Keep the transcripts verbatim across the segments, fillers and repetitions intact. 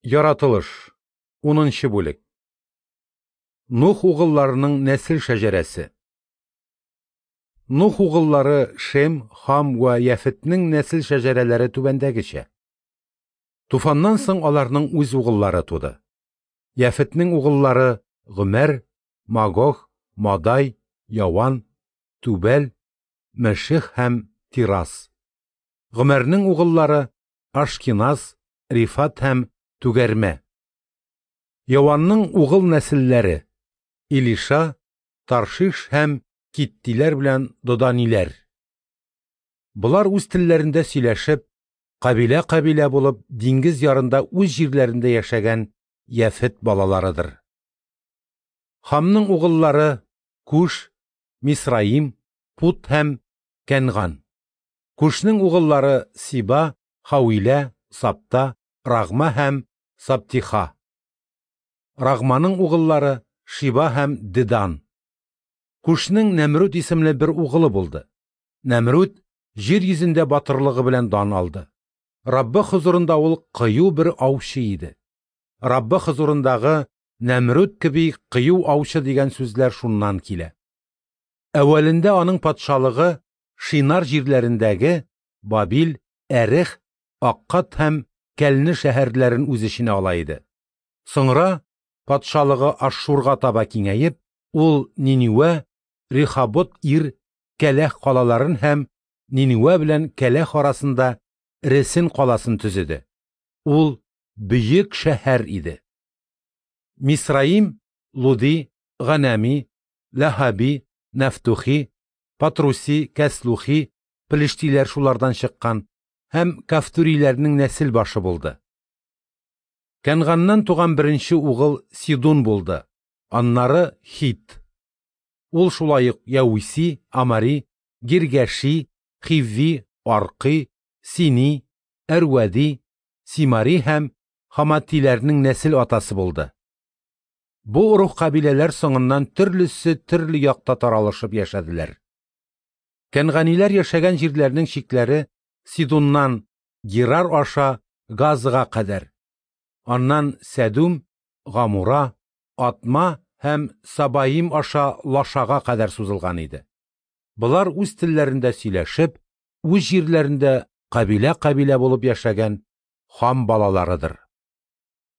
Яратылыш, унынчы бүлек. Нух угылларының нәсел шәҗәрәсе. Нух угыллары Шем, Хам вә Яфетнең нәсел шәҗәрәләре түбәндәгечә. Туфаннан соң аларның үз угыллары туды. Яфетнең угыллары Гомәр, Магог, Мадай, Яван, Түбәл, Мәших һәм Тирас. Гомәрнең угыллары Ашкиназ, Рифат һәм Түгәрмә. Яванның угыл нәселләре Илиша, Таршиш һәм Киттиләр белән Доданиләр. Болар үз телләрендә сөйләшеп, кабилә-кабилә булып, диңгез ярында үз җирләрендә яшәгән Яфет балаларыдыр. Хамның угыллары Куш, Мисраим, Пут һәм Кәнган. Кушның угыллары Сиба, Хауилә, Сапта, Рагма һәм Саптиха. Рагманың угыллары Шиба һәм Дедан. Кушның Нәмрүд исемле бер угылы булды. Нәмрүд җир йөзендә батырлыгы белән дан алды. Раббы хозурында ул кыю бер аучы иде. Раббы хозурындагы Нәмрүд кеби кыю аучы дигән сүзләр шуннан килә. Әүвәлендә аның патшалыгы Шинар җирләрендәге Бабил, Әрех, Аккад һәм Кәлне шәһәрләрен үз эченә ала иде. Соңра патшалыгы Ашшурга таба киңәеп, ул Ниневә, Рехобот ир, Кәләх калаларын һәм Ниневә белән Кәләх арасында Ресен каласын төзеде. Ул бөек шәһәр иде. Мисраим, Луди, Ганами, Ләһаби, Нафтухи, Патруси, Кәслухи, Пелештиләр шулардан чыккан һәм Кафтуриләрнең нәсел башы булды. Кәнганнан туган беренче угыл Сидун булды, аннары Хит. Ул шулай ук Яуиси, Амари, Гиргәши, Хивви, Аркый, Сини, Әрвәди, Симари һәм Хаматиләрнең нәсел атасы булды. Бу ыруг кабиләләр соңыннан төрлесе төрле якта таралышып яшәделәр. Кәнганиләр яшәгән җирләрнең чикләре Сидуннан Герар аша Газага кадәр, аннан Сәдүм, Гамура, Атма һәм Сабаим аша Лашага кадәр сузылган иде. Болар үз телләрендә сөйләшеп, үз җирләрендә кабилә-кабилә булып яшәгән Хам балаларыдыр.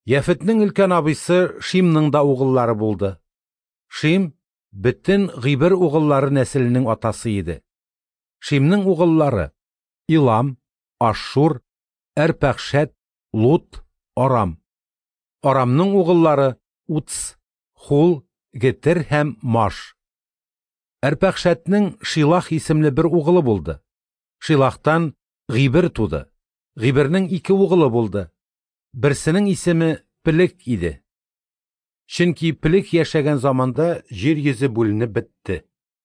Яфетнең өлкән абыйсы Шимның да угыллары булды. Шим бөтен Гыйбер угыллары нәселенең атасы иде. Шимның угыллары Илам, Ашшур, Әрпәхшәт, Лут, Арам. Арамның угыллары Уц, Хул, Гетер һәм Маш. Әрпәхшәтнең Шилах исемле бер угылы булды. Шилахтан Гыйбер туды. Гыйбернең ике угылы булды. Берсенең исеме Пелек иде. Чөнки Пелек яшәгән заманда җир йөзе бүленеп бетте.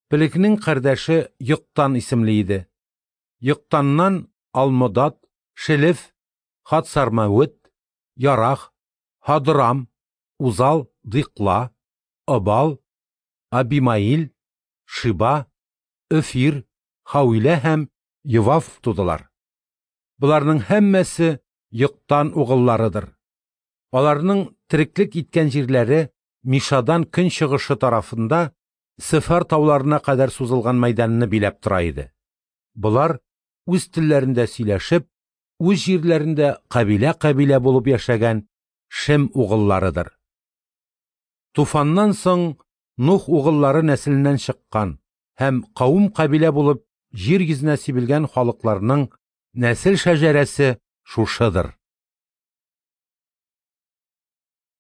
Пелекнең кардәше Йоктан исемле иде. Йоктаннан Алмодат, Шелеф, Хатсармавыт, Ярах, Һадрам, Узал, Дикла, Обал, Абимаил, Шиба, Өфир, Хауилә һәм Йовав тудылар. Боларның һәммәсе Йоктан угылларыдыр. Аларның тереклек иткән җирләре Мишадан көн чыгышы тарафында Сефар тауларына кадәр сузылган мәйданны биләп тора иде. Болар үз телләрендә сөйләшеп, үз җирләрендә кабилә-кабилә булып яшәгән Шем угылларыдыр. Туфаннан соң Нух угыллары нәселеннән чыккан һәм кавым кабилә булып җир йөзенә сибелгән халыкларның нәсел шәҗәрәсе шушыдыр.